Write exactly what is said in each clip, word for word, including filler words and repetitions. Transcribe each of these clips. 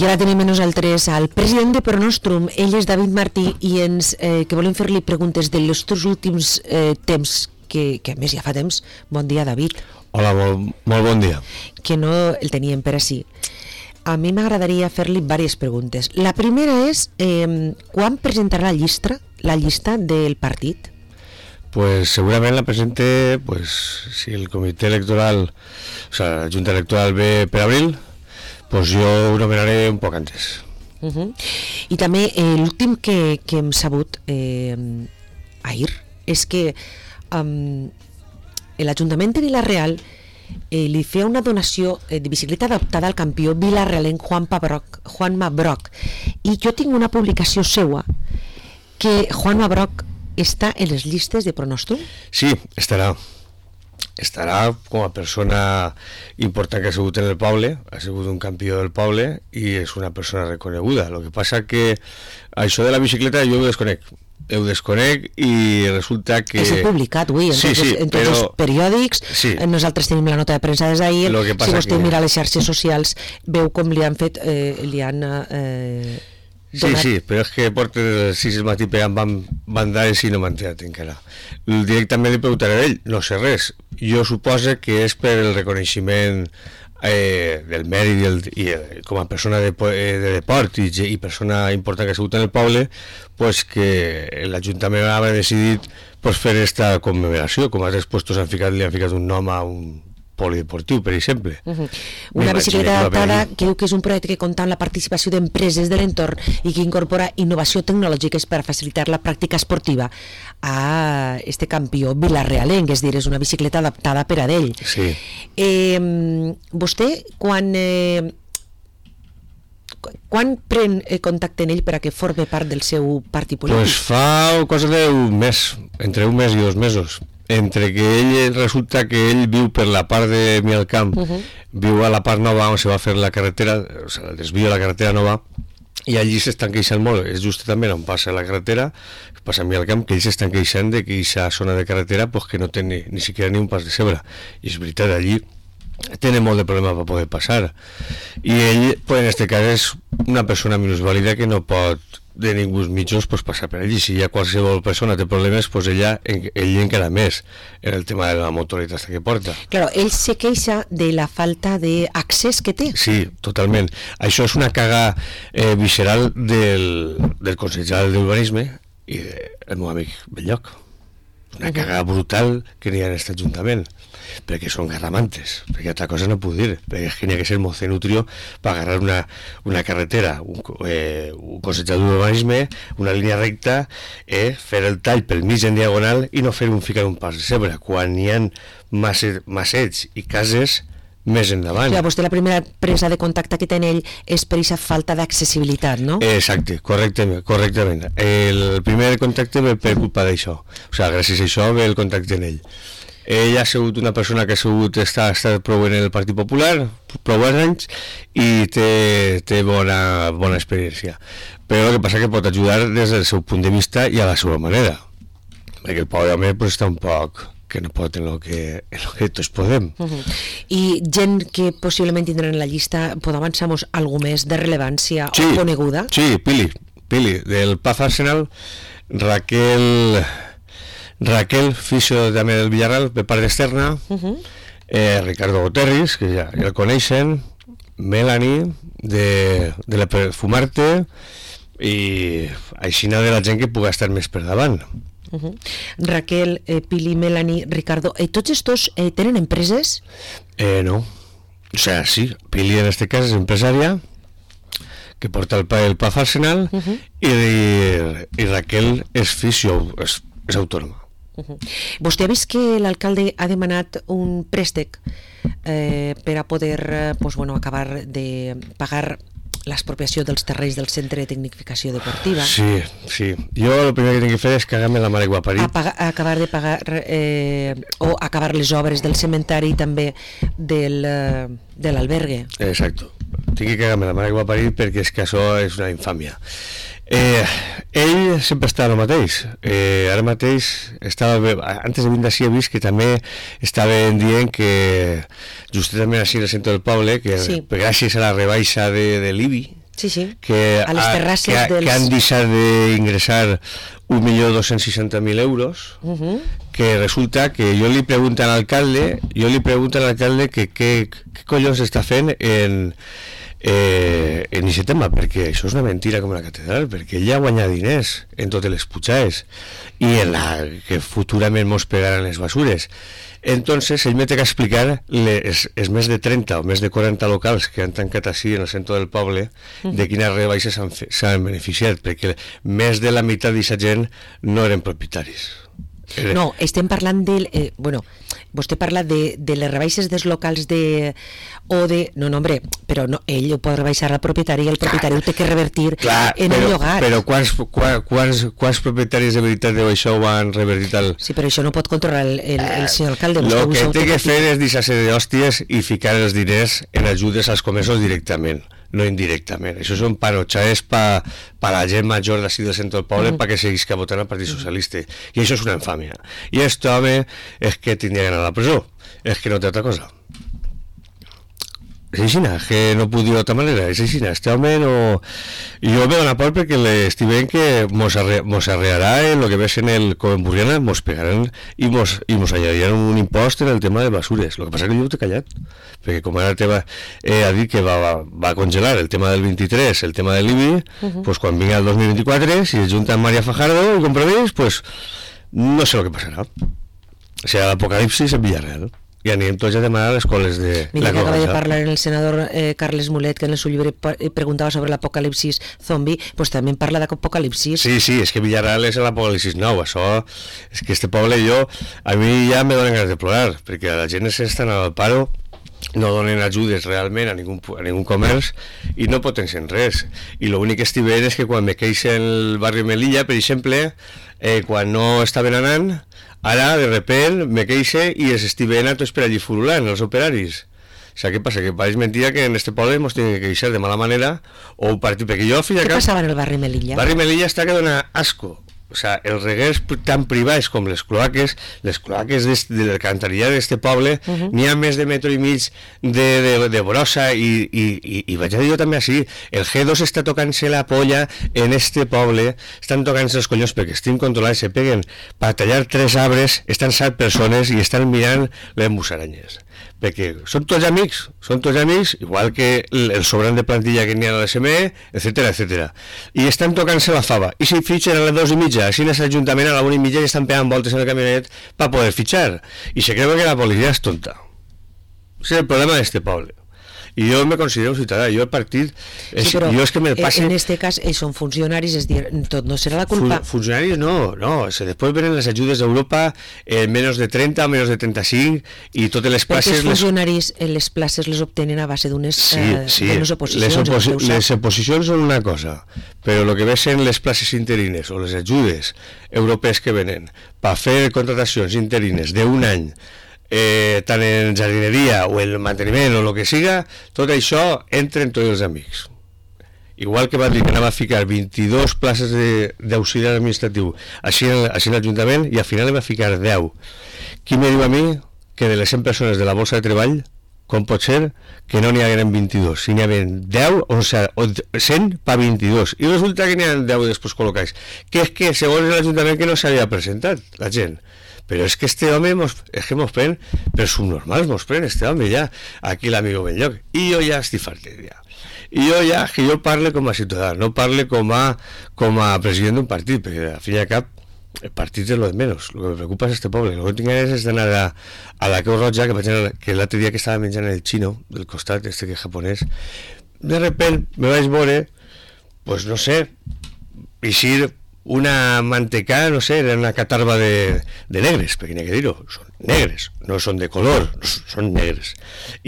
I ara tenim a nosaltres al president de Pronostrum, ell és David Martí, i ens, eh, que volem fer-li preguntes dels teus últims eh, temps, que, que a més ja fa temps. Bon dia, David. Hola, molt, molt bon dia. Que no el teníem per així. A mi m'agradaria fer-li diverses preguntes. La primera és, eh, quan presentarà la llista, la llista del partit? Pues segurament la presente, pues, si el comitè electoral, o sea, la Junta Electoral ve per abril, pues jo ho nomenaré un poc antes. Uh -huh. I també eh, l'últim que, que hem sabut eh, ahir és que um, l'Ajuntament de Vila-real eh, li feia una donació eh, de bicicleta adaptada al campió vilarealenc Juanma Broc, Juanma Broc, i jo tinc una publicació seua que Juanma Broc està en les llistes de Pronostrum? Sí, estarà. Estarà com a persona important que ha sigut en el poble, ha sigut un campió del poble i és una persona reconeguda. El que passa que això de la bicicleta jo ho desconec. Ho desconec i resulta que... És publicat avui en, sí, tots, sí, en tots però... els periòdics. Sí. Nosaltres tenim la nota de premsa des d'ahir. Si vostè que... mira les xarxes socials veu com li han fet, eh, li han... Eh, Sí, sí, però és que porta les sis del matí pegant bandades i no m'ha entrat encara. Directament li preguntaré a ell, no sé res. Jo suposo que és per el reconeixement eh, del mèrit i, el, i eh, com a persona de, de deport i, i persona important que ha sigut en el poble, pues que l'Ajuntament ha decidit pues, fer esta commemoració, com altres puestos han ficat, li han ficat un nom a un polideportiu, per exemple. Uh -huh. Una bicicleta adaptada que diu que és un projecte que compta amb la participació d'empreses de l'entorn i que incorpora innovació tecnològica per facilitar la pràctica esportiva a este campió vilarealenc, és dir, és una bicicleta adaptada per a ell. Sí. Eh, vostè, quan... Eh, quan pren contacte en ell per a que forme part del seu partit polític? Pues fa cosa d'un mes, entre un mes i dos mesos. Entre que ell resulta que ell viu per la part de Mialcamp, uh -huh. viu a la part nova on se va fer la carretera, o sigui, el desvio de la carretera nova, i allí s'estan queixant molt, és just també on passa la carretera, passa a Mialcamp, que ells s'estan queixant de que aquesta zona de carretera pues, que no té ni, ni siquiera ni un pas de zebra, i és veritat, allí tenen molt de problema per poder passar, i ell, pues, en este cas, és una persona minusvàlida que no pot de ningú mitjans pues, passar per allí. Si hi ha qualsevol persona té problemes, pues ella, ell encara més en el tema de la motoritat que porta. Claro, ell se queixa de la falta d'accés que té. Sí, totalment. Això és una caga eh, visceral del, del Consell General d'Urbanisme i del meu amic Belloc. Una caga brutal que n'hi ha en aquest Ajuntament, perquè són garramantes, perquè altra cosa no puc dir, perquè és que n'hi ha que ser mocenutrio per agarrar una, una carretera, un, eh, un consejador d'urbanisme, una línia recta, eh, fer el tall pel mig en diagonal i no fer un ficar un pas de zebra, quan hi ha massets i cases més endavant. Ja, vostè la primera presa de contacte que té en ell és per aquesta falta d'accessibilitat, no? Exacte, correctament, correctament. El primer contacte ve per culpa d'això, o sigui, gràcies a això ve el contacte en ell. Ell ha sigut una persona que ha sigut, està, ha estat prou en el Partit Popular, prou anys, i té, té bona, bona experiència. Però el que passa que pot ajudar des del seu punt de vista i a la seva manera. Perquè el pobre home pues, està un poc que no pot en el que, en lo que tots podem. Uh -huh. I gent que possiblement tindran en la llista, pot avançar-nos alguna més de rellevància sí, o coneguda? Sí, Pili, Pili, del Paz Arsenal, Raquel... Raquel, fisio també del Villarreal, per part externa, uh -huh. eh, Ricardo Goterris, que ja, ja el coneixen, Melanie, de, de la Perfumarte, i aixina de la gent que pugui estar més per davant. Uh -huh. Raquel, eh, Pili, Melanie, Ricardo, eh, tots estos eh, tenen empreses? Eh, no, o sea, sí, Pili en este cas és empresària, que porta el, el Paz Arsenal, uh -huh. i, i, i Raquel és fisio, és, és autònoma. Uh-huh. Vostè ha vist que l'alcalde ha demanat un préstec eh, per a poder eh, pues, bueno, acabar de pagar l'expropiació dels terrenys del Centre de Tecnificació Deportiva? Sí, sí. Jo el primer que tinc que fer és cagar-me la mare que ho ha parit. A pagar, a acabar de pagar eh, o acabar les obres del cementari i també del, eh, de l'albergue. Exacto. Tinc que cagar-me la mare que ho ha parit perquè és que això és una infàmia. Eh, ell sempre està el mateix. Eh, ara mateix estava bé, antes de venir d'ací he vist que també estaven dient que justament així al centre del poble que sí. gràcies a la rebaixa de, de l'I B I sí, sí. que, a les terrasses ha, que, dels... que han deixat d'ingressar un milió dos-cents seixanta mil euros, uh -huh. que resulta que jo li pregunto a l'alcalde, jo li pregunto a l'alcalde que què collons està fent en, eh, en aquest tema, perquè això és una mentira com la catedral, perquè ella guanya diners en totes les pujades i en la que futurament mos pegaran les basures. Entonces ell me té que explicar les, els més de trenta o més de quaranta locals que han tancat així en el centre del poble, uh-huh. de quines rebaixes s'han beneficiat, perquè més de la meitat d'aquesta gent no eren propietaris. No, estem parlant de... Eh, bueno, vostè parla de, de les rebaixes dels locals de... o de... No, no, hombre, però no, ell ho pot rebaixar al propietari i el propietari ho té que revertir clar, en però, el llogar. Però quants, quants, quants, quants propietaris de veritat de això ho han revertit al... Sí, però això no pot controlar el, el, el senyor alcalde. El que té que fer és deixar-se d'hòsties i ficar els diners en ajudes als comerços directament, no indirectament. Això són panotxades per pa la gent major d'ací del centre del poble, mm. perquè seguisca votant al Partit Socialista. I això és una infàmia. I aquest home és que tindria que anar a la presó. És que no té altra cosa. És així, que no puc dir d'altra manera. És així, este home no... Jo me dona por perquè estic veient que mos, arre, mos arrearà en el que ves en el com Burriana, mos pegaran i mos, i mos añadiran un impost en el tema de basures. El que passa que jo ho t'he callat, perquè com ara teva, eh, ha dit que va, va, va congelar el tema del vint-i-tres, el tema de l'I B I, uh-huh. pues quan vinga el dos mil vint-i-quatre, si es junta amb María Fajardo i Compromís, pues no sé el que passarà. O sigui, l'apocalipsis en Villarreal. I anirem tots a demanar les coles de... Mira que acaba de parlar el senador eh, Carles Mulet, que en el seu llibre preguntava sobre l'apocalipsis zombi, pues també parla d'apocalipsis. Sí, sí, és que Villarreal és l'apocalipsis nou, això, és que este poble jo, a mi ja me donen ganes de plorar, perquè la gent s'estan al paro, no donen ajudes realment a ningú, a ningú comerç i no potencien res. I l'únic que estic veient és que quan me queixa en el barri Melilla, per exemple, eh, quan no estaven anant, ara, de repent, me queixe i els estic veient a tots per allí furulant, els operaris. O sigui, què passa? Que pareix mentida que en este poble ens tenen que queixar de mala manera o un partit, perquè jo al fin i al cap... Què cap... passava en el barri Melilla? El barri Melilla està que dona asco. O sea, els reguers tan privats com les cloaques, les cloaques de, de l'alcantarillada d'este poble, uh-huh. n'hi ha més de metro i mig de, de, de brossa i, i, i, i vaig a dir jo també així, el G dos està tocant-se la polla en este poble, estan tocant-se els collons perquè estem controlats, se peguen per tallar tres arbres, estan set persones i estan mirant les musaranyes. Perquè són tots amics, són tots amics, igual que el, el sobrant de plantilla que n'hi ha a l'S M E, etcètera, etcètera. I estan tocant-se la fava. I si fitxen a les dues i mitja, així en l'Ajuntament a la una i mitja i estan pegant voltes en el camionet per poder fitxar. I se creuen que la policia és tonta. Ese és el problema d'este poble. I jo me considero un ciutadà, jo el partit és, sí, però jo és que me passe... en este cas ells són funcionaris, és dir, tot no serà la culpa. Fun funcionaris no, no, o sea, després venen les ajudes d'Europa en menys de trenta o menys de trenta-cinc i totes les places... Perquè els funcionaris les... les places les obtenen a base d'unes sí, eh, sí. oposicions. Les, oposi les oposicions són una cosa, però el que ves en les places interines o les ajudes europees que venen per fer contratacions interines d'un any, Eh, tant en jardineria o el manteniment o el que siga, tot això entra en tots els amics. Igual que va dir que anava a ficar vint-i-dues places d'auxiliar administratiu així en, així en l'Ajuntament i al final va ficar deu. Qui me diu a mi que de les cent persones de la borsa de treball com pot ser que no n'hi hagueren vint-i-dos, si n'hi hagueren deu o cent per vint-i-dos i resulta que n'hi ha deu després col·locats, que és que segons l'Ajuntament que no s'havia presentat la gent. Però és que este home mos, és que mos pren per subnormals, mos pren este home ja aquí l'amigo Benlloc, i jo ja estic fartet ja. I jo ja, que jo parle com a ciutadà, no parle com a, com a president d'un partit, perquè al fin i al cap el partit és lo de menys, el que me preocupa és este poble. El que tinc ganes és d'anar a, a la Creu Roja, que, que l'altre dia que estava menjant el xino del costat, este que és japonès, de repent me vaig veure, pues no sé, eixir una mantecà, no sé, era una catarba de, de negres, perquè n'hi ha que dir-ho, són negres, no són de color, no, són negres.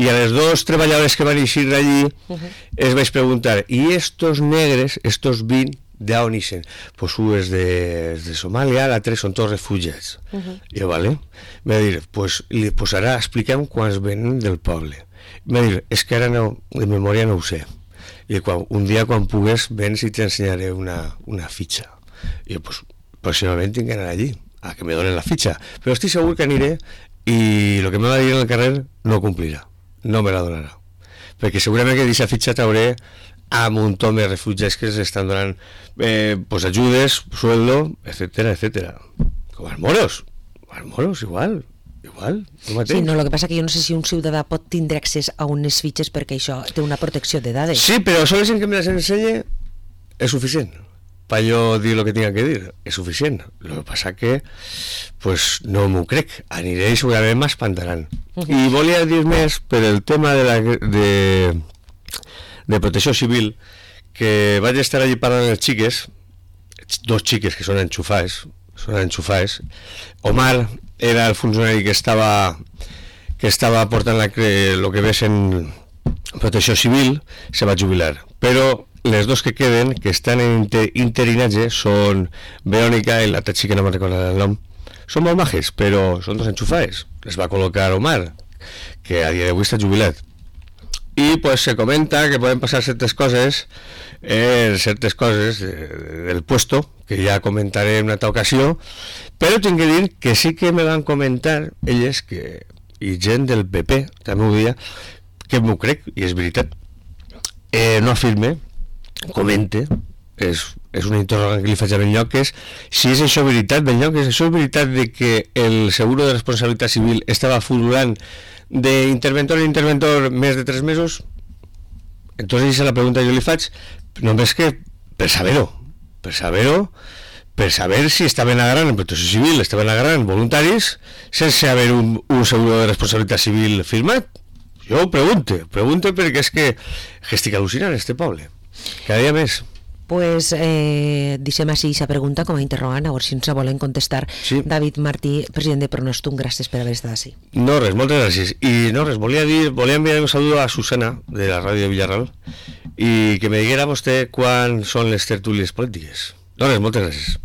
I a les dos treballadores que van eixir d'allí, uh -huh. es vaig preguntar, i estos negres, estos vint, d'on ixen? Pues un és de, de Somàlia, l'altre són tots refugiats. Uh -huh. I jo, vale, m'ha dit, pues, pues ara expliquem quants venen del poble. M'ha dit, és que ara no, de memòria no ho sé. I quan, un dia quan pugues, vens i t'ensenyaré una, una fitxa. I jo, pues, pròximament tinc que anar allí a que me donen la fitxa, però estic segur que aniré i el que me va dir en el carrer no complirà, no me la donarà, perquè segurament que d'aquesta fitxa t'hauré a montón de refugiados que se están dando eh, pues ayudes, sueldo, etcétera, etcétera. Como als moros, als moros igual. Igual, sí, no, lo que passa que jo no sé si un ciutadà pot tindre accés a unes fitxes perquè això té una protecció de dades. Sí, però sols en que me les ensenye és suficient para yo dir lo que tenga que dir, és suficient. Lo que passa que pues no m'ho crec, aniré i segurament m'espantaran. Uh -huh. I volia dir més per el tema de, la, de, de protecció civil, que vaig estar allí parlant amb els xiques, dos xiques que són enxufades, són enxufades. Omar era el funcionari que estava que estava portant la, lo que ves en protecció civil, se va jubilar, però les dos que queden, que estan en inter, interinatge, són Verónica i l'altra xica, no me'n recordo el nom, són molt majes, però són dos enxufades. Les va col·locar Omar, que a dia d'avui està jubilat. I pues se comenta que poden passar certes coses, eh, certes coses de, de, del puesto, que ja comentaré en una altra ocasió, però tinc que dir que sí que me van comentar elles, que, i gent del P P també ho dia, que m'ho crec, i és veritat. Eh, no afirme, comente, és, és una interrogant que li faig a Benlloc, que és si és això veritat, Benlloc, és això veritat de que el seguro de responsabilitat civil estava fululant d'interventor en interventor més de tres mesos. Entonces esa es la pregunta que jo li faig, només que per saber-ho, per saber-ho, per saber si estaven agarrant en protecció civil, estaven agarrant voluntaris sense haver un, un seguro de responsabilitat civil firmat. Jo ho pregunto, pregunto perquè és que estic al·lucinant este poble, cada dia més. Pues eh, deixem així aquesta pregunta com a interrogant, a veure si ens la volen contestar. Sí. David Martí, president de Pronostum, gràcies per haver estat així. No res, moltes gràcies. I no res, volia dir, volia enviar un saludo a Susana, de la ràdio de Villarreal, i que me diguera vostè quan són les tertúlies polítiques. No res, moltes gràcies.